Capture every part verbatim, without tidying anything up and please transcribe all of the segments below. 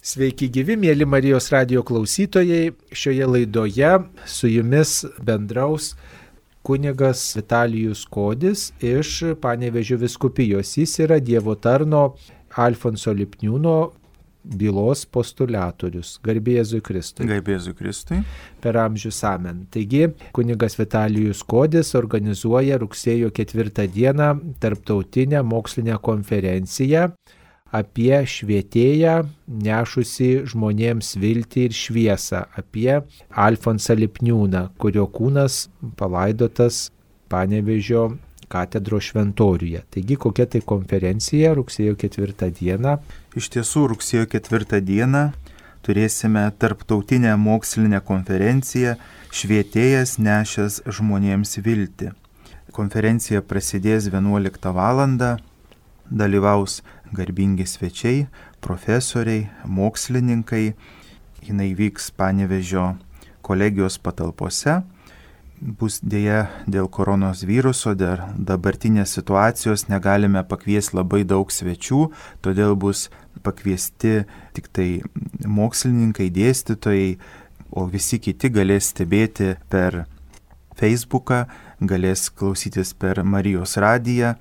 Sveiki gyvi, mėly Marijos radijo klausytojai. Šioje laidoje su jumis bendraus kunigas Vitalijus Kodis iš Panevėžio vyskupijos. Jis yra Dievo tarno Alfonso Lipniūno bylos postulatorius. Garbė Jėzui Kristui. Garbė Jėzui Kristui. Per amžius amen. Taigi, kunigas Vitalijus Kodis organizuoja rugsėjo ketvirtą dieną tarptautinę mokslinę konferenciją apie švietėją nešusį žmonėms viltį ir šviesą, apie Alfonsą Lipniūną, kurio kūnas palaidotas Panevėžio katedros šventoriuje. Taigi, kokia tai konferencija rugsėjo ketvirtą dieną? Iš tiesų, rugsėjo ketvirtą dieną turėsime tarptautinę mokslinę konferenciją Švietėjas nešęs žmonėms viltį. Konferencija prasidės vienuoliktą valandą, dalyvaus garbingi svečiai, profesoriai, mokslininkai. Jinai vyks Panevėžio kolegijos patalpose. Bus dėja dėl koronos viruso, dėl dabartinės situacijos negalime pakviesti labai daug svečių, todėl bus pakviesti tik tai mokslininkai, dėstytojai, o visi kiti galės stebėti per Facebooką, galės klausytis per Marijos radiją,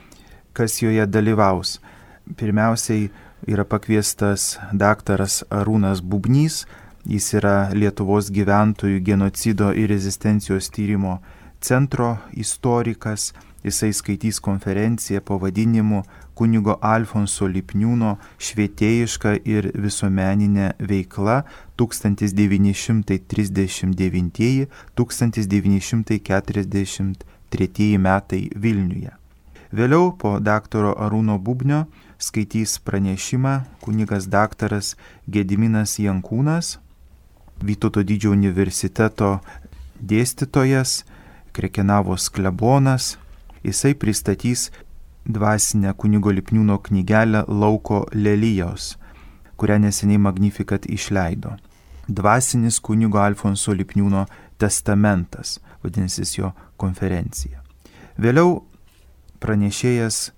kas joje dalyvaus. Pirmiausiai yra pakviestas daktaras Arūnas Bubnys. Jis yra Lietuvos gyventojų genocido ir rezistencijos tyrimo centro istorikas. Jisai skaitys konferenciją pavadinimu Kunigo Alfonso Lipniūno švietėjiška ir visuomeninė veikla tūkstantis devyni šimtai trisdešimt devinti - tūkstantis devyni šimtai keturiasdešimt treti metai Vilniuje. Vėliau po daktaro Arūno Bubnio skaitys pranešimą kunigas daktaras Gediminas Jankūnas, Vytauto Didžiojo universiteto dėstytojas, Krekenavos klebonas. Jisai pristatys dvasinę kunigo Lipniūno knygelę Lauko lelijos, kurią neseniai Magnificat išleido. Dvasinis kunigo Alfonso Lipniūno testamentas, vadinsis jo konferencija. Vėliau pranešėjas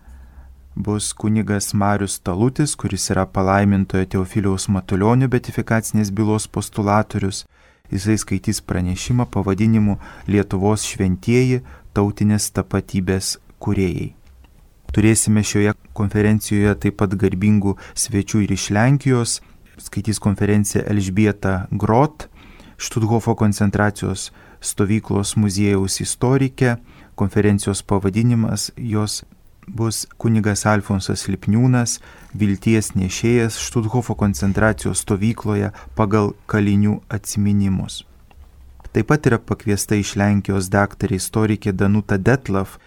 bus kunigas Marius Talutis, kuris yra palaimintojo Teofiliaus Matulionio beatifikacinės bylos postulatorius. Jisai skaitys pranešimą pavadinimu Lietuvos šventieji tautinės tapatybės kūrėjai. Turėsime šioje konferencijoje taip pat garbingų svečių ir iš Lenkijos. Skaitys konferenciją Elžbieta Grot, Štuthofo koncentracijos stovyklos muziejaus istorikė. Konferencijos pavadinimas jos bus kunigas Alfonsas Lipniūnas, vilties nešėjas Štuthofo koncentracijos stovykloje pagal kalinių atsiminimus. Taip pat yra pakviesta iš Lenkijos daktarė istorikė Danuta Detlav.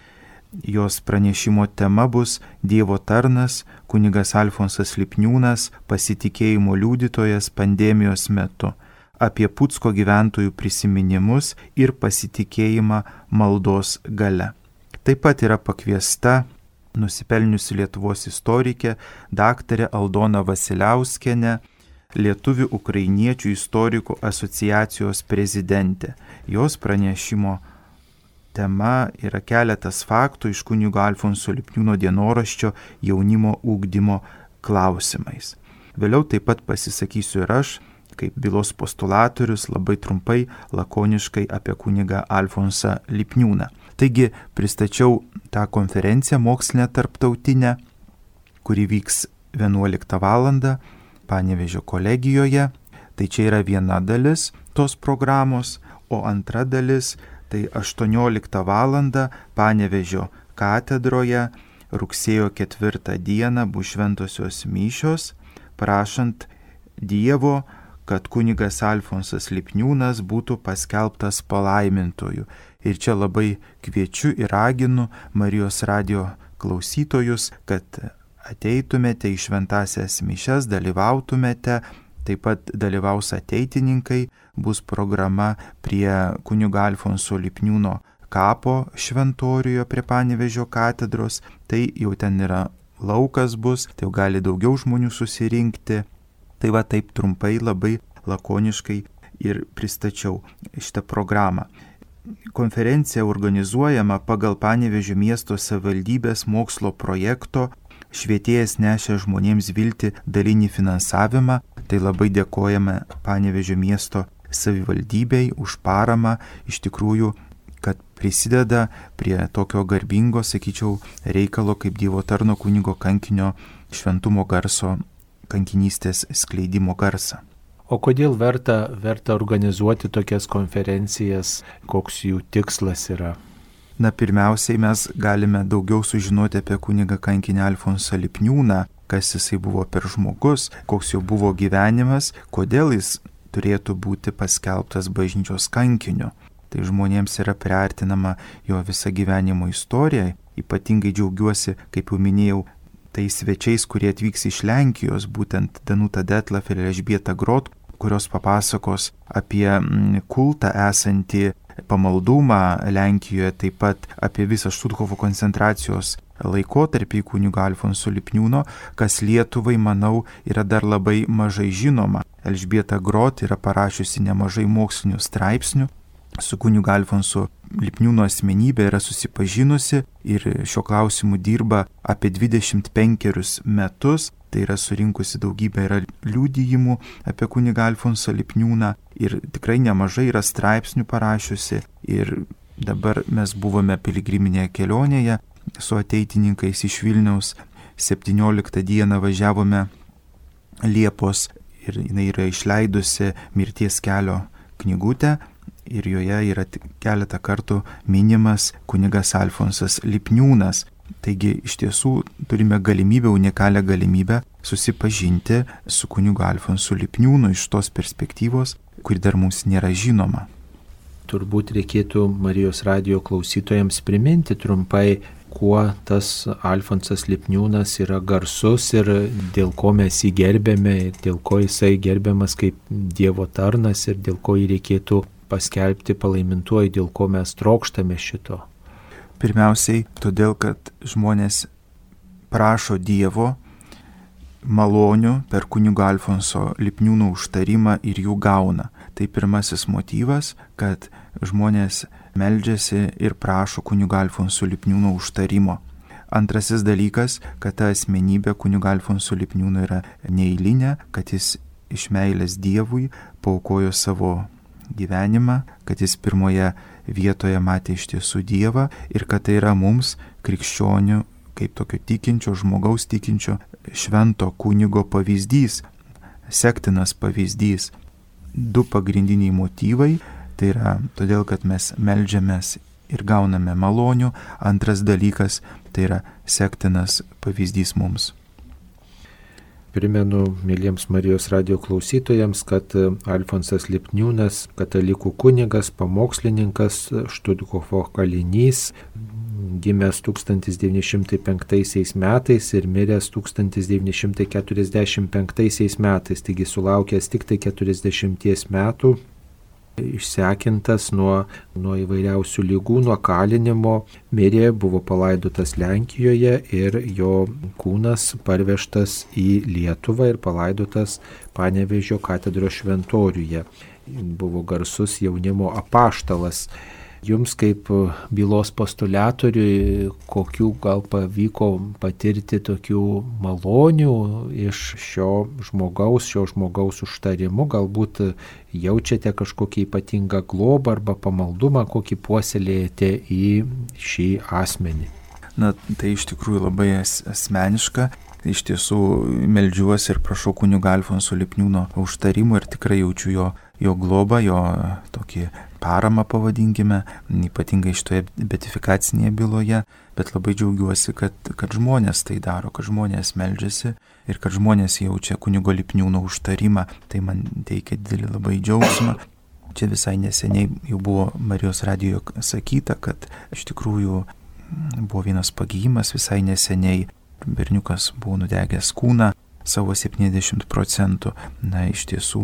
Jos pranešimo tema bus Dievo tarnas, kunigas Alfonsas Lipniūnas, pasitikėjimo liudytojas pandemijos metu, apie Pucko gyventojų prisiminimus ir pasitikėjimą maldos gale. Taip pat yra pakviesta nusipelniusi Lietuvos istorikė daktarė Aldona Vasiliauskienė, Lietuvių ukrainiečių istorikų asociacijos prezidentė. Jos pranešimo tema yra keletas faktų iš kunigo Alfonso Lipniūno dienoraščio jaunimo ugdymo klausimais. Vėliau taip pat pasisakysiu ir aš, kaip bylos postulatorius, labai trumpai, lakoniškai apie kunigą Alfonsą Lipniūną. Taigi pristačiau tą konferenciją mokslinę tarptautinę, kuri vyks vienuoliktą valandą Panevėžio kolegijoje. Tai čia yra viena dalis tos programos, o antra dalis tai aštuonioliktą valandą Panevėžio katedroje rugsėjo ketvirtą dieną bus šventosios mišios, prašant Dievo, kad kunigas Alfonsas Lipniūnas būtų paskelbtas palaimintoju. Ir čia labai kviečiu ir raginu Marijos radijo klausytojus, kad ateitumėte į šventąsias mišias, dalyvautumėte, taip pat dalyvaus ateitininkai, bus programa prie kunigo Alfonso Lipniūno kapo šventoriuje prie Panevėžio katedros, tai jau ten yra laukas bus, tai jau gali daugiau žmonių susirinkti. Tai va taip trumpai, labai lakoniškai ir pristačiau šitą programą. Konferencija organizuojama pagal Panevėžio miesto savivaldybės mokslo projekto Švietėjas nešė žmonėms viltį dalinį finansavimą. Tai labai dėkojame Panevėžio miesto savivaldybei už paramą, iš tikrųjų, kad prisideda prie tokio garbingo, sakyčiau, reikalo kaip Dievo tarno kunigo kankinio šventumo garso, kankinystės skleidimo garsą. O kodėl verta, verta organizuoti tokias konferencijas, koks jų tikslas yra? Na, pirmiausiai mes galime daugiau sužinoti apie kunigą kankinį Alfonsą Lipniūną, kas jisai buvo per žmogus, koks jo buvo gyvenimas, kodėl jis turėtų būti paskelbtas bažnyčios kankiniu. Tai žmonėms yra priartinama jo visa gyvenimo istorija. Ypatingai džiaugiuosi, kaip jau minėjau, tai svečiais, kurie atvyks iš Lenkijos, būtent Danuta Detlaf ir Elžbieta Grot, kurios papasakos apie kultą esantį pamaldumą Lenkijoje, taip pat apie visą Štuthofo koncentracijos laikotarpį kunigo Alfonso Lipniūno, kas Lietuvai, manau, yra dar labai mažai žinoma. Elžbieta Grot yra parašiusi nemažai mokslinių straipsnių, su kunigu Alfonso Lipniūno asmenybė yra susipažinusi ir šiuo klausimu dirba apie dvidešimt penkerius metus. Tai yra surinkusi daugybę yra liudijimų apie kunigą Alfonsą Lipniūną ir tikrai nemažai yra straipsnių parašiusi. Ir dabar mes buvome piligriminėje kelionėje su ateitininkais iš Vilniaus. septynioliktą dieną važiavome Liepos ir jinai yra išleidusi Mirties kelio knygutę ir joje yra keletą kartų minimas kunigas Alfonsas Lipniūnas. Taigi iš tiesų turime galimybę, unikalią galimybę susipažinti su kunigu Alfonsu Lipniūnu iš tos perspektyvos, kuri dar mums nėra žinoma. Turbūt reikėtų Marijos radijo klausytojams priminti trumpai, kuo tas Alfonsas Lipniūnas yra garsus ir dėl ko mes jį gerbėme, dėl ko jisai gerbiamas kaip Dievo tarnas ir dėl ko jį reikėtų paskelbti palaimintuoju, dėl ko mes trokštame šito. Pirmiausiai, todėl, kad žmonės prašo Dievo malonių per kunigo Alfonso Lipniūno užtarimą ir jų gauna. Tai pirmasis motyvas, kad žmonės meldžiasi ir prašo kunigo Alfonso Lipniūno užtarimo. Antrasis dalykas, kad ta asmenybė kunigo Alfonso Lipniūno yra neeilinė, kad jis iš meilės Dievui paaukojo savo gyvenimą, kad jis pirmoje vietoje matė iš tiesų Dievą ir kad tai yra mums, krikščionių, kaip tokio tikinčio, žmogaus tikinčio, švento kunigo pavyzdys, sektinas pavyzdys. Du pagrindiniai motyvai, tai yra todėl, kad mes meldžiamės ir gauname malonių. Antras dalykas, tai yra sektinas pavyzdys mums. Primenu mėlyms Marijos radijo klausytojams, kad Alfonsas Lipniūnas, katalikų kunigas, pamokslininkas, Štuthofo kalinys, gimęs tūkstantis devyni šimtai penktaisiais metais ir miręs tūkstantis devyni šimtai keturiasdešimt penktaisiais metais, taigi sulaukęs tik tai keturiasdešimties metų, išsekintas nuo, nuo įvairiausių lygų, nuo kalinimo, mirė, buvo palaidotas Lenkijoje ir jo kūnas parvežtas į Lietuvą ir palaidotas Panevėžio katedros šventoriuje. Buvo garsus jaunimo apaštalas. Jums kaip bylos postuliatoriui, kokių gal pavyko patirti tokių malonių iš šio žmogaus, šio žmogaus užtarimu, galbūt jaučiate kažkokį ypatingą globą arba pamaldumą, kokį puoselėjate į šį asmenį? Na, tai iš tikrųjų labai asmeniška. Iš tiesų meldžiuosi ir prašau kunigo Alfonso Lipniūno užtarimo ir tikrai jaučiu jo, jo globą, jo tokį paramą, pavadinkime, ypatingai šitoje beatifikacinėje byloje, bet labai džiaugiuosi, kad, kad žmonės tai daro, kad žmonės meldžiasi ir kad žmonės jaučia kunigo Lipniūno užtarimą, tai man teikia didelį labai džiaugsmą. Čia visai neseniai jau buvo Marijos radijo sakyta, kad iš tikrųjų buvo vienas pagyjimas visai neseniai. Berniukas buvo nudegęs kūną savo septyniasdešimt procentų. Na, iš tiesų,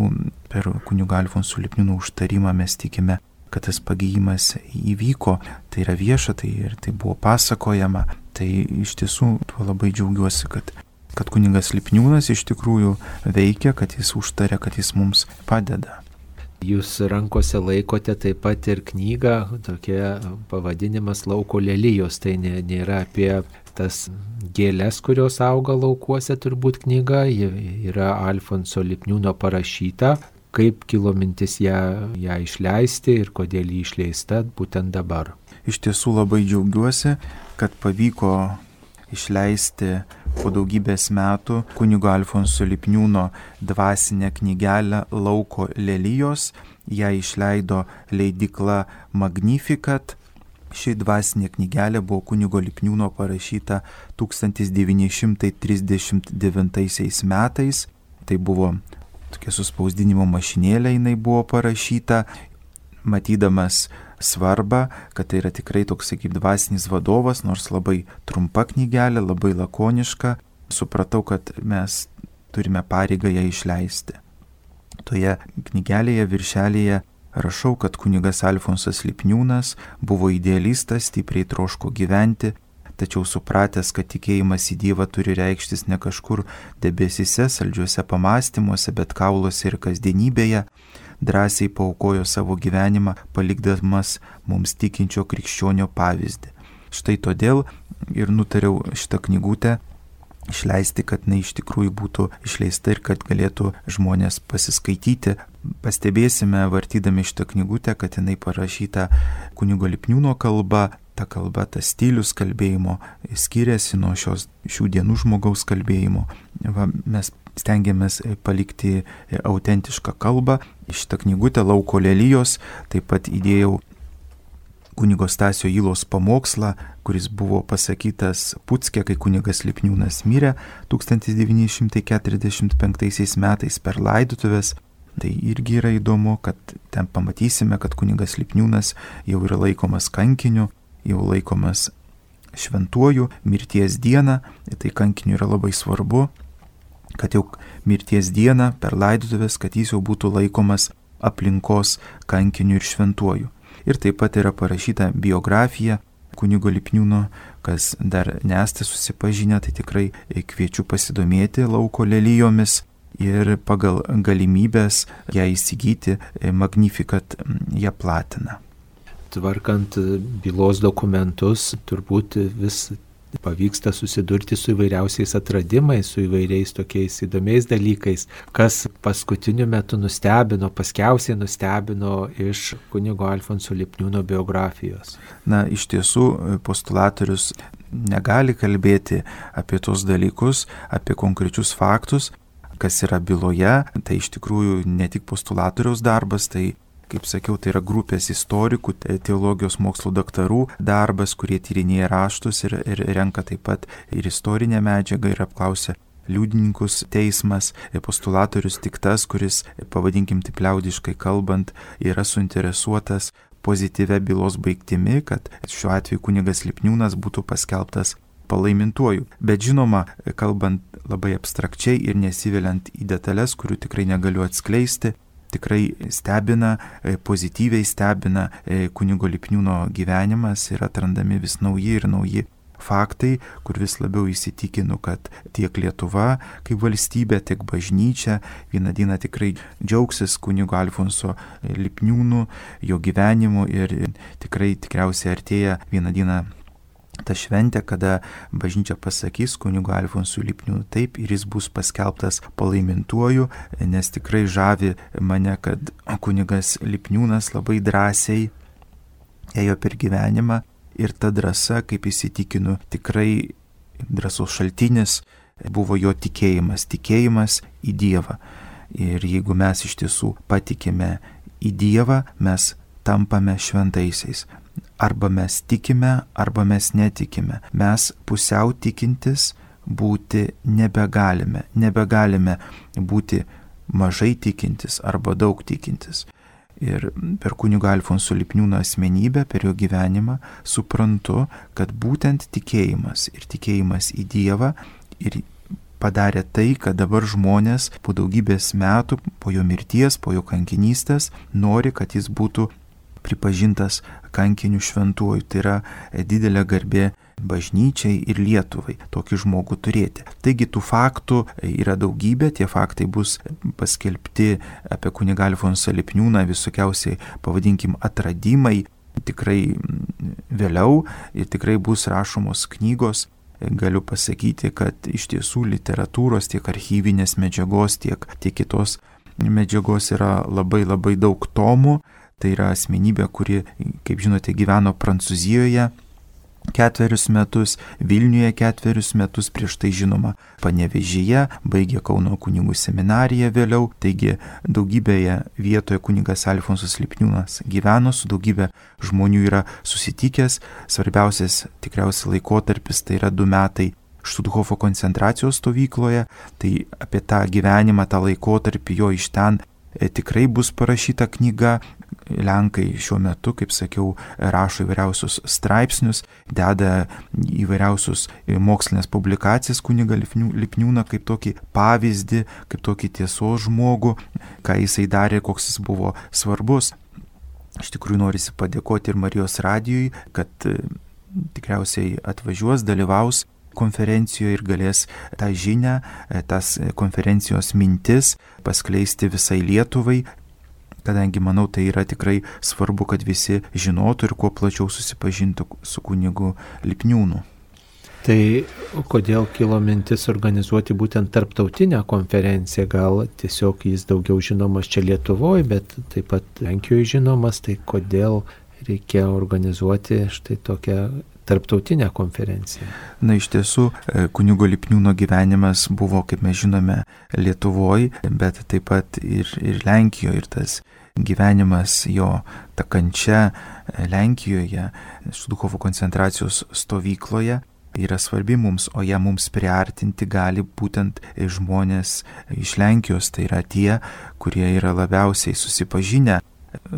per kunigo Alfonso Lipniūno užtarimą mes tikime, kad tas pagyjimas įvyko. Tai yra vieša, tai ir tai buvo pasakojama. Tai iš tiesų tuo labai džiaugiuosi, kad, kad kunigas Lipniūnas iš tikrųjų veikia, kad jis užtaria, kad jis mums padeda. Jūs rankose laikote taip pat ir knygą, tokia pavadinimas Lauko lelijos, tai nėra apie tas gėlės, kurios auga laukuose, turbūt knyga, ji yra Alfonso Lipniūno parašyta, kaip kilo mintis ją, ją išleisti ir kodėl ji išleista būtent dabar. Iš tiesų labai džiaugiuosi, kad pavyko išleisti po daugybės metų kunigo Alfonso Lipniūno dvasinę knygelę Lauko lelijos. Ją išleido leidykla Magnificat. Ši dvasinė knygelė buvo kunigo Lipniūno parašyta tūkstantis devyni šimtai trisdešimt devintaisiais metais. Tai buvo tokia suspausdinimo mašinėlė, jinai buvo parašyta, matydamas svarbą, kad tai yra tikrai toks kaip dvasinis vadovas, nors labai trumpa knygelė, labai lakoniška, supratau, kad mes turime pareigą ją išleisti. Toje knygelėje viršelėje rašau, kad kunigas Alfonsas Lipniūnas buvo idealistas, stipriai troško gyventi, tačiau supratęs, kad tikėjimas į Dievą turi reikštis ne kažkur debesyse, saldžiuose pamastymuose, bet kauluose ir kasdienybėje, drąsiai paaukojo savo gyvenimą, palikdamas mums tikinčio krikščionio pavyzdį. Štai todėl ir nutariau šitą knygutę išleisti, kad jinai iš tikrųjų būtų išleista ir kad galėtų žmonės pasiskaityti. Pastebėsime, vartydami šitą knygutę, kad jinai parašyta kunigo Lipniūno kalba. Ta kalba, tas stilius kalbėjimo skiriasi nuo šios, šių dienų žmogaus kalbėjimo. Va, mes stengiamės palikti autentišką kalbą. Šitą knygutę Lauko lelijos taip pat įdėjau kunigo Stasio Ylos pamokslą, kuris buvo pasakytas Pucke, kai kunigas Lipniūnas mirė tūkstantis devyni šimtai keturiasdešimt penktaisiais metais per laidotuvės. Tai irgi yra įdomu, kad ten pamatysime, kad kunigas Lipniūnas jau yra laikomas kankiniu, jau laikomas šventuoju mirties dieną. Tai kankiniu yra labai svarbu, kad jau mirties dieną per laidotuvės, kad jis jau būtų laikomas aplinkos kankiniu ir šventuoju. Ir taip pat yra parašyta biografija kunigo Lipniūno, kas dar nesate susipažinę, tai tikrai kviečiu pasidomėti Lauko lelijomis ir pagal galimybės ją įsigyti, Magnificat ją platina. Tvarkant bylos dokumentus, turbūt vis pavyksta susidurti su įvairiausiais atradimais, su įvairiais tokiais įdomiais dalykais, kas paskutiniu metu nustebino, paskiausiai nustebino iš kunigo Alfonso Lipniūno biografijos. Na, iš tiesų, postulatorius negali kalbėti apie tos dalykus, apie konkrečius faktus, kas yra byloje. Tai iš tikrųjų ne tik postulatoriaus darbas, tai kaip sakiau, tai yra grupės istorikų, teologijos mokslo daktarų darbas, kurie tyrinėja raštus ir, ir renka taip pat ir istorinę medžiagą ir apklausia liudininkus teismas. Postulatorius tik tas, kuris, pavadinkim taip liaudiškai kalbant, yra suinteresuotas pozityvia bylos baigtimi, kad šiuo atveju kunigas Lipniūnas būtų paskelbtas palaimintuoju. Bet žinoma, kalbant labai abstrakčiai ir nesiveliant į detalės, kurių tikrai negaliu atskleisti, tikrai stebina, pozityviai stebina kunigo Lipniūno gyvenimas ir atrandami vis nauji ir nauji faktai, kur vis labiau įsitikinu, kad tiek Lietuva kaip valstybė, tiek bažnyčia vieną dieną tikrai džiaugsis kunigo Alfonso Lipniūnu, jo gyvenimu ir tikrai tikriausiai artėja vieną dieną ta šventė, kada bažnyčia pasakys kunigo Alfonso Lipniūno taip ir jis bus paskelbtas palaimintuoju, nes tikrai žavi mane, kad kunigas Lipniūnas labai drąsiai ėjo per gyvenimą ir ta drąsa, kaip įsitikinu, tikrai drąsos šaltinis buvo jo tikėjimas, tikėjimas į Dievą. Ir jeigu mes iš tiesų patikime į Dievą, mes tampame šventaisiais. Arba mes tikime, arba mes netikime. Mes pusiau tikintis būti nebegalime. Nebegalime būti mažai tikintis arba daug tikintis. Ir per kunigo Alfonso Lipniūno asmenybę, per jo gyvenimą suprantu, kad būtent tikėjimas ir tikėjimas į Dievą ir padarė tai, kad dabar žmonės po daugybės metų, po jo mirties, po jo kankinystės, nori, kad jis būtų pripažintas kankiniu šventuoju. Tai yra didelė garbė bažnyčiai ir Lietuvai tokį žmogų turėti. Taigi tų faktų yra daugybė, tie faktai bus paskelbti apie kunigą Alfonsą Lipniūną, visokiausiai, pavadinkim, atradimai, tikrai vėliau ir tikrai bus rašomos knygos galiu pasakyti, kad iš tiesų literatūros, tiek archyvinės medžiagos, tiek, tiek kitos medžiagos yra labai labai daug tomų. Tai yra asmenybė, kuri, kaip žinote, gyveno Prancūzijoje ketverius metus, Vilniuje ketverius metus, prieš tai žinoma Panevėžyje, baigė Kauno kunigų seminariją vėliau, taigi daugybėje vietoje kunigas Alfonsas Lipniūnas gyveno, su daugybė žmonių yra susitikęs, svarbiausias tikriausiai laikotarpis tai yra du metai Štuthofo koncentracijos stovykloje, tai apie tą gyvenimą, tą laikotarpį jo iš ten e, tikrai bus parašyta knyga. Lenkai šiuo metu, kaip sakiau, rašo įvairiausius straipsnius, deda įvairiausius mokslinės publikacijas kunigą Lipniūną kaip tokį pavyzdį, kaip tokį tiesos žmogų, ką jisai darė, koks jis buvo svarbus. Iš tikrųjų norisi padėkoti ir Marijos radijui, kad tikriausiai atvažiuos, dalyvaus konferencijoje ir galės tą žinią, tas konferencijos mintis paskleisti visai Lietuvai, kadangi manau tai yra tikrai svarbu, kad visi žinotų ir kuo plačiau susipažintų su kunigu Lipniūnu. Tai kodėl kilo mintis organizuoti būtent tarptautinę konferenciją? Gal tiesiog jis daugiau žinomas čia Lietuvoje, bet taip pat Lenkijoje žinomas, tai kodėl reikia organizuoti štai tokią tarptautinę konferenciją? Na, iš tiesų, kunigo Lipniūno gyvenimas buvo, kaip mes žinome, Lietuvoje, bet taip pat ir, ir Lenkijoje, ir tas gyvenimas jo, ta kančia Lenkijoje, Štuthofo koncentracijos stovykloje yra svarbi mums, o ją mums priartinti gali būtent žmonės iš Lenkijos, tai yra tie, kurie yra labiausiai susipažinę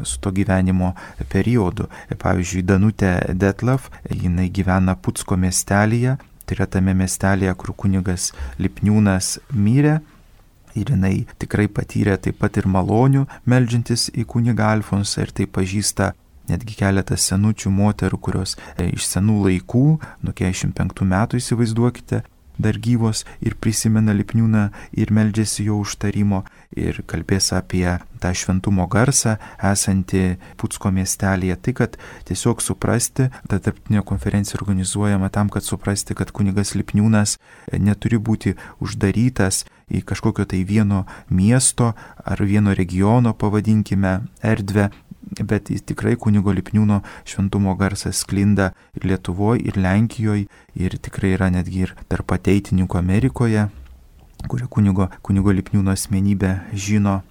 su to gyvenimo periodu. Pavyzdžiui, Danutė Detlav, jinai gyvena Pucko miestelyje, tai yra tame miestelėje, kur kunigas Lipniūnas mirė. Ir jinai tikrai patyrė taip pat ir malonių meldžiantis į kunigą Alfonsą ir tai pažįsta netgi keletas senučių moterų, kurios iš senų laikų, nuo keturiasdešimt penktų metų įsivaizduokite, dar gyvos ir prisimena Lipniūną ir meldžiasi jo užtarimo ir kalbės apie tą šventumo garsą esantį Pucko miestelėje. Tai, kad tiesiog suprasti, ta tarptautinė konferencija organizuojama tam, kad suprasti, kad kunigas Lipniūnas neturi būti uždarytas į kažkokio tai vieno miesto ar vieno regiono, pavadinkime, erdvę, bet jis tikrai kunigo Lipniūno šventumo garsas sklinda ir Lietuvoje, ir Lenkijoje, ir tikrai yra netgi ir tarp ateitininkų Amerikoje, kurie kunigo, kunigo Lipniūno asmenybę žino.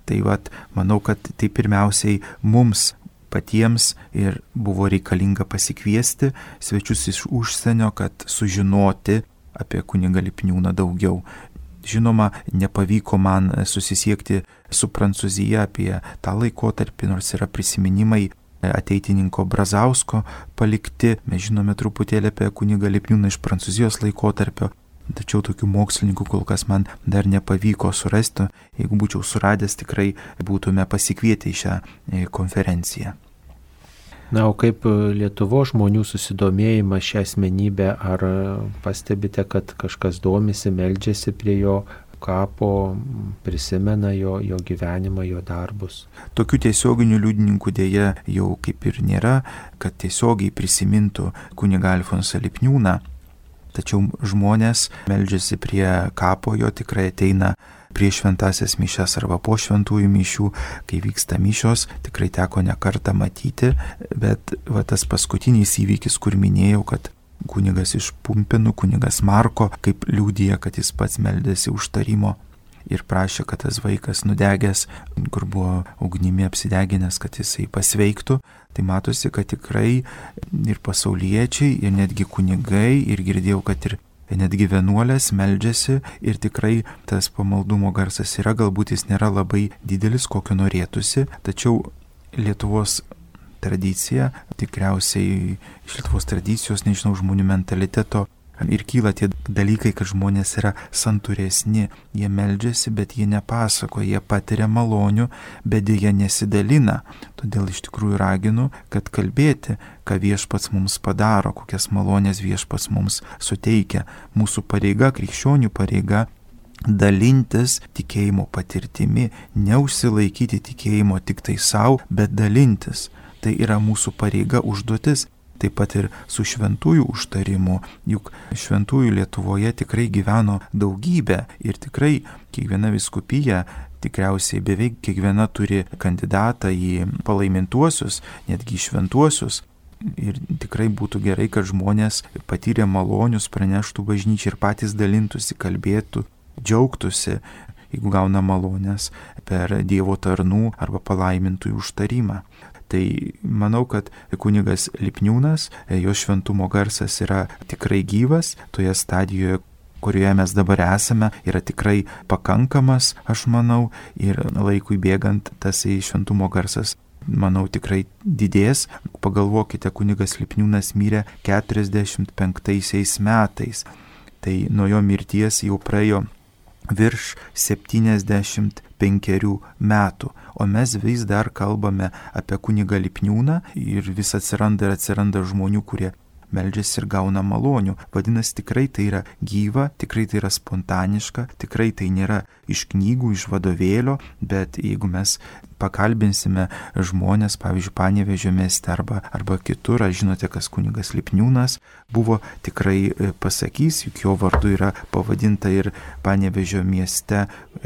Tai vat, manau, kad tai pirmiausiai mums patiems ir buvo reikalinga pasikviesti svečius iš užsienio, kad sužinoti apie kunigą Lipniūną daugiau. Žinoma, nepavyko man susisiekti su Prancūzija apie tą laikotarpį, nors yra prisiminimai ateitininko Brazausko palikti. Mes žinome truputėlį apie kunigą Lipniūną iš Prancūzijos laikotarpio, tačiau tokių mokslininkų kol kas man dar nepavyko surasti. Jeigu būčiau suradęs, tikrai būtume pasikvietę į šią konferenciją. Na, o kaip Lietuvos žmonių susidomėjimas šią asmenybę, ar pastebite, kad kažkas domisi, meldžiasi prie jo kapo, prisimena jo, jo gyvenimą, jo darbus? Tokių tiesioginių liudininkų dėja jau kaip ir nėra, kad tiesiogiai prisimintų kunigą Alfonsą Lipniūną, tačiau žmonės meldžiasi prie kapo, jo tikrai ateina prieš šventasias mišias arba po šventųjų mišių, kai vyksta mišios, tikrai teko ne kartą matyti, bet va, tas paskutinis įvykis, kur minėjau, kad kunigas iš Pumpėnų, kunigas Marko, kaip liudija, kad jis pats meldėsi užtarimo ir prašė, kad tas vaikas nudegęs, kur buvo ugnimi apsideginęs, kad jisai pasveiktų, tai matosi, kad tikrai ir pasauliečiai, ir netgi kunigai, ir girdėjau, kad ir netgi vienuolės meldžiasi ir tikrai tas pamaldumo garsas yra, galbūt jis nėra labai didelis, kokio norėtųsi, tačiau Lietuvos tradicija, tikriausiai iš Lietuvos tradicijos, nežinau, žmonių mentaliteto ir kyla tie dalykai, kad žmonės yra santūresni, jie meldžiasi, bet jie nepasako, jie patiria malonių, bet jie nesidalina. Todėl iš tikrųjų raginu, kad kalbėti, ką viešpats mums padaro, kokias malonės viešpats mums suteikia. Mūsų pareiga, krikščionių pareiga, dalintis tikėjimo patirtimi, neužsilaikyti tikėjimo tik tai savo, bet dalintis. Tai yra mūsų pareiga, užduotis. taip pat ir su šventųjų užtarimu, juk šventųjų Lietuvoje tikrai gyveno daugybė ir tikrai kiekviena vyskupija, tikriausiai beveik kiekviena turi kandidatą į palaimintuosius, netgi šventuosius. Ir tikrai būtų gerai, kad žmonės patyrę malonius praneštų bažnyčiai ir patys dalintųsi, kalbėtų, džiaugtųsi, jeigu gauna malonės per Dievo tarnų arba palaimintųjų užtarimą. Tai manau, kad kunigas Lipniūnas, jo šventumo garsas yra tikrai gyvas, toje stadijoje, kurioje mes dabar esame, yra tikrai pakankamas, aš manau, ir laikui bėgant tas šventumo garsas, manau, tikrai didės. Pagalvokite, kunigas Lipniūnas mirė keturiasdešimt penktaisiais metais, tai nuo jo mirties jau praėjo virš septyniasdešimt penkerių metų, o mes vis dar kalbame apie kunigą Lipniūną ir vis atsiranda ir atsiranda žmonių, kurie meldžiasi ir gauna malonių. Vadinasi, tikrai tai yra gyva, tikrai tai yra spontaniška, tikrai tai nėra iš knygų, iš vadovėlio, bet jeigu mes pakalbinsime žmonės, pavyzdžiui, Panevėžio mieste arba, arba kitur, ar žinote, kas kunigas Lipniūnas buvo, tikrai pasakys, juk jo vardu yra pavadinta ir Panevėžio mieste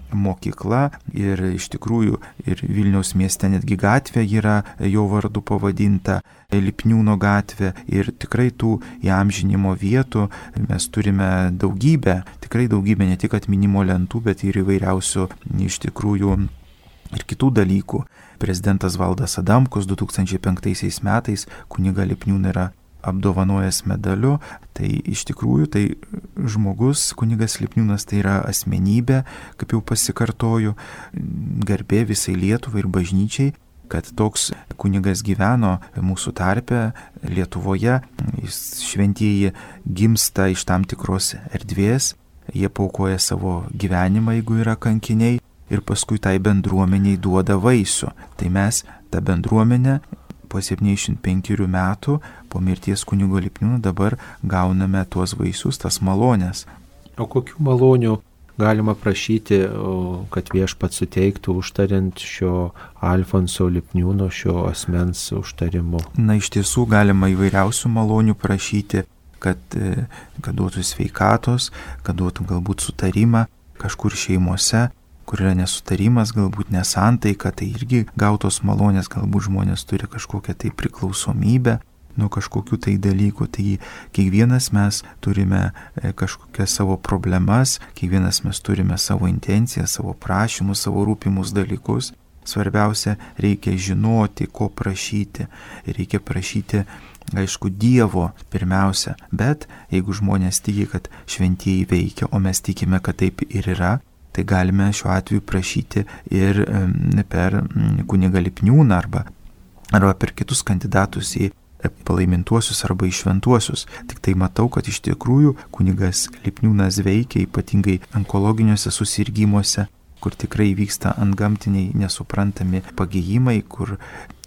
mokykla, ir iš tikrųjų ir Vilniaus mieste netgi gatvė yra jo vardu pavadinta, Lipniūno gatvė, ir tikrai tų įamžinimo vietų mes turime daugybę, tikrai daugybę, ne tik atminimo lentų, bet ir įvairiausių iš tikrųjų ir kitų dalykų. Prezidentas Valdas Adamkus du tūkstančiai penktaisiais metais kunigą Lipniūną yra apdovanojęs medaliu. Tai iš tikrųjų tai žmogus, kunigas Lipniūnas, tai yra asmenybė, kaip jau pasikartoju, garbė visai Lietuvai ir bažnyčiai, kad toks kunigas gyveno mūsų tarpe Lietuvoje. Šventieji gimsta iš tam tikros erdvės, jie paukoja savo gyvenimą, jeigu yra kankiniai, ir paskui tai bendruomeniai duoda vaisių. Tai mes tą bendruomenę po septyniasdešimt penkerių metų po mirties kunigo Lipniūno dabar gauname tuos vaisius, tas malonės. O kokių malonių galima prašyti, kad viešpats suteiktų užtariant šio Alfonso Lipniūno, šio asmens užtarimu? Na, iš tiesų galima įvairiausių malonių prašyti, kad, kad duotų sveikatos, kad duotų galbūt sutarimą kažkur šeimose, kur yra nesutarimas, galbūt nesantaika, tai irgi gautos malonės, galbūt žmonės turi kažkokią tai priklausomybę nuo kažkokių tai dalykų. Tai kiekvienas mes turime kažkokias savo problemas, kiekvienas mes turime savo intenciją, savo prašymus, savo rūpimus dalykus. Svarbiausia, reikia žinoti, ko prašyti. Reikia prašyti, aišku, Dievo pirmiausia, bet jeigu žmonės tiki, kad šventieji veikia, o mes tikime, kad taip ir yra, tai galime šiuo atveju prašyti ir per kunigą Lipniūną arba, arba per kitus kandidatus į palaimintuosius arba į šventuosius. Tik tai matau, kad iš tikrųjų kunigas Lipniūnas veikia ypatingai onkologiniuose susirgymuose, kur tikrai vyksta antgamtiniai nesuprantami pagijimai, kur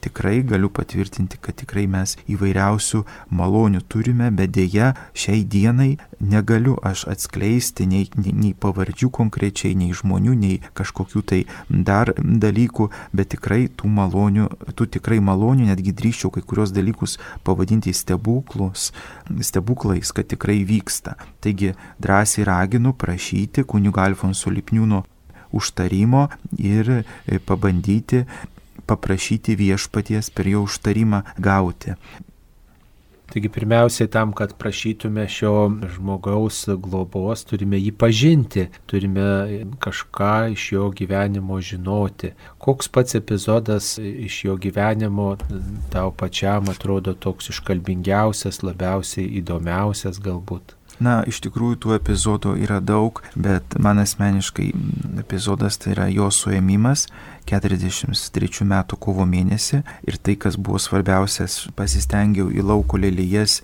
tikrai galiu patvirtinti, kad tikrai mes įvairiausių malonių turime, bet dėja šiai dienai negaliu aš atskleisti nei, nei, nei pavardžių konkrečiai, nei žmonių, nei kažkokių tai dar dalykų, bet tikrai tų malonių, tų tikrai malonių, netgi drįsčiau kai kurios dalykus pavadinti stebuklus, stebuklais, kad tikrai vyksta. Taigi drąsiai raginu prašyti kunigo Alfonso Lipniūno užtarimo ir pabandyti paprašyti viešpaties per jo užtarimą gauti. Taigi pirmiausiai tam, kad prašytume šio žmogaus globos, turime jį pažinti, turime kažką iš jo gyvenimo žinoti. Koks pats epizodas iš jo gyvenimo tau pačiam atrodo toks iškalbingiausias, labiausiai įdomiausias galbūt? Na, iš tikrųjų tų epizodų yra daug, bet man asmeniškai epizodas tai yra jo suėmimas keturiasdešimt trečių metų kovo mėnesį, ir tai, kas buvo svarbiausias, pasistengiau į lauko lelijas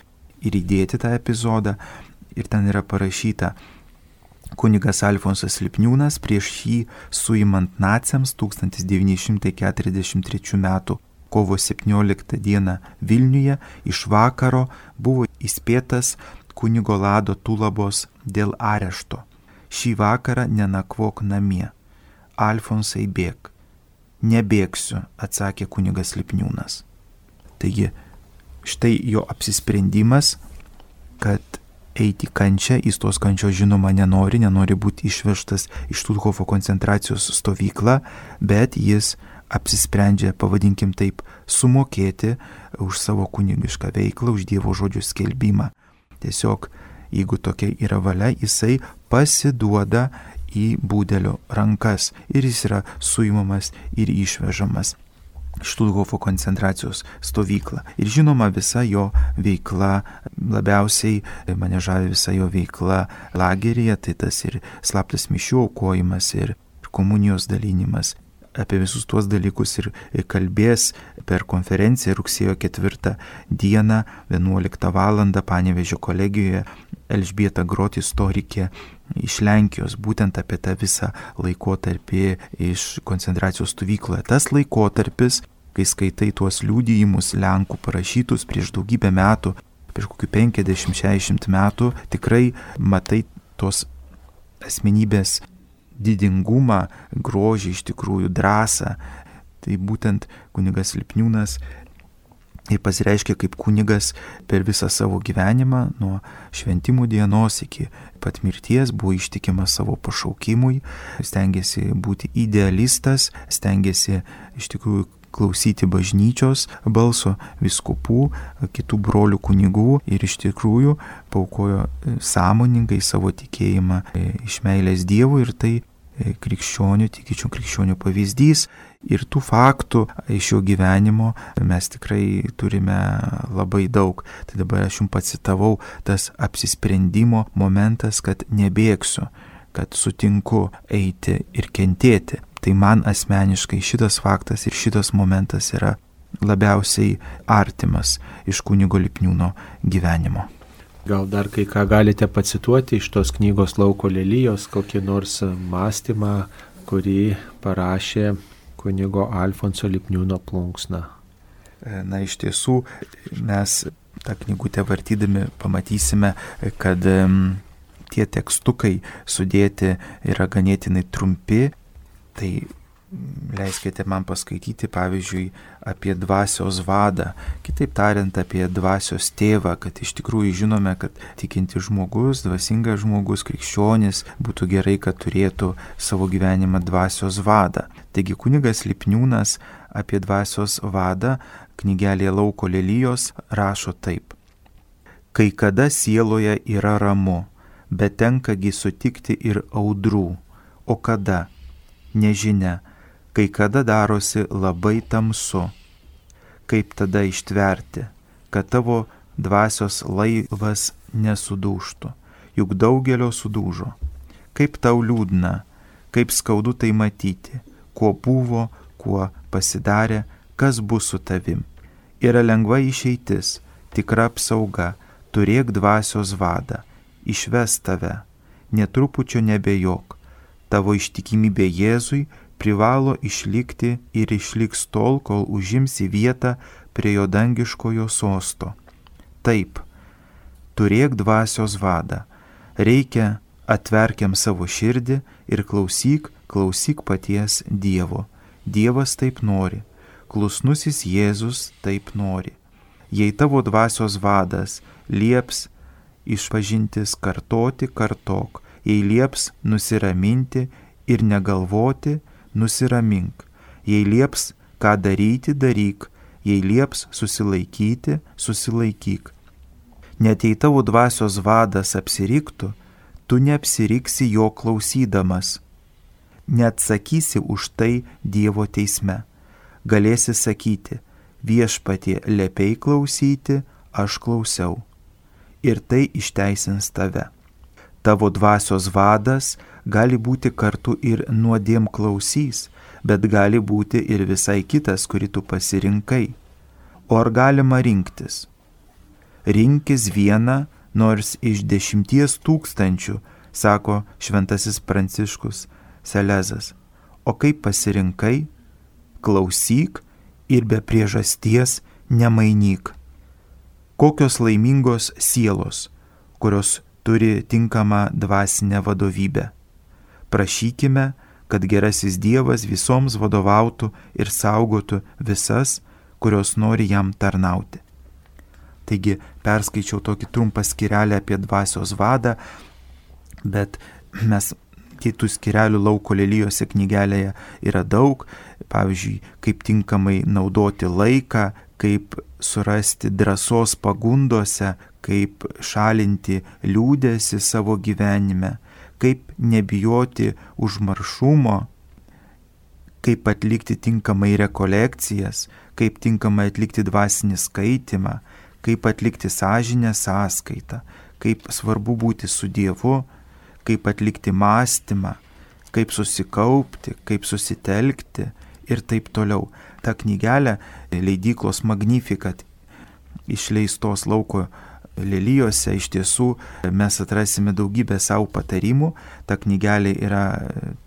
ir įdėti tą epizodą, ir ten yra parašyta: kunigas Alfonsas Lipniūnas prieš jį suimant naciams tūkstantis devyni šimtai keturiasdešimt trečių metų kovo septynioliktą dieną Vilniuje iš vakaro buvo įspėtas kunigo Lado Tulabos dėl arešto. Šį vakarą nenakvok namie. Alfonsai, bėk. Nebėgsiu, atsakė kunigas Lipniūnas. Taigi, štai jo apsisprendimas, kad eiti kančią, jis tos kančios žinoma nenori, nenori būti išvežtas iš Štuthofo koncentracijos stovyklą, bet jis apsisprendžia, pavadinkim taip, sumokėti už savo kunigišką veiklą, už Dievo žodžio skelbimą. Tiesiog, jeigu tokia yra valia, jisai pasiduoda į būdelio rankas ir jis yra suimamas ir išvežamas Štuthofo koncentracijos stovyklą. Ir žinoma, visa jo veikla, labiausiai mane žavi visa jo veikla lageryje, tai tas ir slaptas mišių aukojimas, ir komunijos dalinimas. Apie visus tuos dalykus ir kalbės per konferenciją rugsėjo ketvirtą dieną, vienuoliktą valandą Panevėžio kolegijoje Elžbieta Grot, istorikė iš Lenkijos, būtent apie tą visą laikotarpį iš koncentracijos stovykloje. Tas laikotarpis, kai skaitai tuos liudijimus Lenkų parašytus prieš daugybę metų, prieš kokių penkiasdešimt šešiasdešimt metų, tikrai matai tos asmenybės didingumą, grožį, iš tikrųjų drąsą. Tai būtent kunigas Lipniūnas ir pasireiškia kaip kunigas per visą savo gyvenimą, nuo šventimų dienos iki pat mirties buvo ištikimas savo pašaukimui, stengiasi būti idealistas, stengiasi iš tikrųjų klausyti bažnyčios balso, vyskupų, kitų brolių kunigų ir iš tikrųjų paaukojo sąmoningai savo tikėjimą iš meilės Dievui, ir tai krikščionių, tikinčių krikščionių pavyzdys. Ir tų faktų iš jo gyvenimo mes tikrai turime labai daug. Tai dabar aš jums pacitavau tas apsisprendimo momentas, kad nebėgsiu, kad sutinku eiti ir kentėti. Tai man asmeniškai šitas faktas ir šitas momentas yra labiausiai artimas iš kunigo Lipniūno gyvenimo. Gal dar kai ką galite pacituoti iš tos knygos Lauko lelijos, kokį nors mąstymą, kurį parašė kunigo Alfonso Lipniūno plunksna. Na, iš tiesų, mes tą knygutę vartydami pamatysime, kad um, tie tekstukai sudėti yra ganėtinai trumpi. Tai leiskite man paskaityti, pavyzdžiui, apie dvasios vadą, kitaip tariant, apie dvasios tėvą, kad iš tikrųjų žinome, kad tikinti žmogus, dvasingas žmogus, krikščionis, būtų gerai, kad turėtų savo gyvenimą dvasios vadą. Taigi kunigas Lipniūnas apie dvasios vadą knygelėje Lauko lelijos rašo taip. Kai kada sieloje yra ramu, bet tenkagi sutikti ir audrų, o kada? Nežinia, kai kada darosi labai tamsu, kaip tada ištverti, kad tavo dvasios laivas nesudūžtų, juk daugelio sudūžo. Kaip tau liūdna, kaip skaudu tai matyti, kuo buvo, kuo pasidarė, kas bus su tavim. Yra lengva išeitis, tikra apsauga, turėk dvasios vadą, išves tave, netrupučio nebejok. Tavo ištikimybė Jėzui privalo išlikti ir išliks tol, kol užimsi vietą prie jo dangiškojo sosto. Taip, turėk dvasios vadą, reikia atverkiam savo širdį ir klausyk, klausyk paties Dievo. Dievas taip nori, klusnusis Jėzus taip nori. Jei tavo dvasios vadas lieps išpažintis kartoti, kartok. Jei lieps nusiraminti ir negalvoti, nusiramink. Jei lieps ką daryti, daryk. Jei lieps susilaikyti, susilaikyk. Net jei tavo dvasios vadas apsiriktų, tu neapsiriksi jo klausydamas. Neatsakysi už tai Dievo teisme. Galėsi sakyti, viešpatie liepiai klausyti, aš klausiau. Ir tai išteisins tave. Tavo dvasios vadas gali būti kartu ir nuodėm klausys, bet gali būti ir visai kitas, kurį tu pasirinkai. O ar galima rinktis? Rinkis vieną, nors iš dešimties tūkstančių, sako šventasis Pranciškus Selezas. O kaip pasirinkai? Klausyk ir be priežasties nemainyk. Kokios laimingos sielos, kurios turi tinkamą dvasinę vadovybę. Prašykime, kad gerasis Dievas visoms vadovautų ir saugotų visas, kurios nori jam tarnauti. Taigi perskaičiau tokį trumpą skyrelį apie dvasios vadą, bet mes kitų skyrelių Lauko lelijose knygelėje yra daug, pavyzdžiui, kaip tinkamai naudoti laiką, kaip surasti drąsos pagundose, kaip šalinti liūdėsi savo gyvenime, kaip nebijoti užmaršumo, kaip atlikti tinkamai rekolekcijas, kaip tinkamai atlikti dvasinį skaitymą, kaip atlikti sąžinę sąskaitą, kaip svarbu būti su Dievu, kaip atlikti mąstymą, kaip susikaupti, kaip susitelkti ir taip toliau. Ta knygelė leidyklos Magnificat išleistos Lauko lelijose iš tiesų mes atrasime daugybę savo patarimų. Ta knygelė yra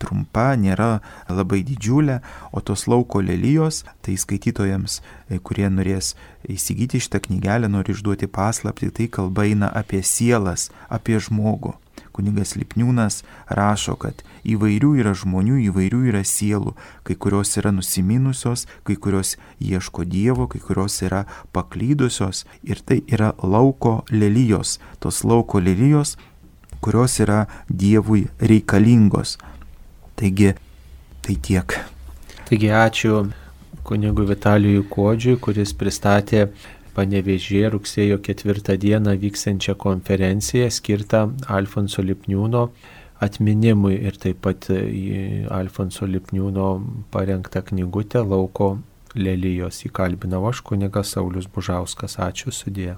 trumpa, nėra labai didžiulė, o tos Lauko lelijos, tai skaitytojams, kurie norės įsigyti šitą knygelę, nori išduoti paslaptį, tai kalba eina apie sielas, apie žmogų. Kunigas Lipniūnas rašo, kad įvairių yra žmonių, įvairių yra sielų, kai kurios yra nusiminusios, kai kurios ieško Dievo, kai kurios yra paklydusios, ir tai yra lauko lelijos, tos lauko lelijos, kurios yra Dievui reikalingos. Taigi, tai tiek. Taigi ačiū kunigui Vitalijui Kuodžiui, kuris pristatė Panevėžyje rugsėjo ketvirtą dieną vyksiančią konferenciją skirtą Alfonso Lipniūno atminimui ir taip pat į Alfonso Lipniūno parengtą knygutę Lauko lelijos. Įkalbinau aš, kunigas Saulius Bužauskas. Ačiū, sudie.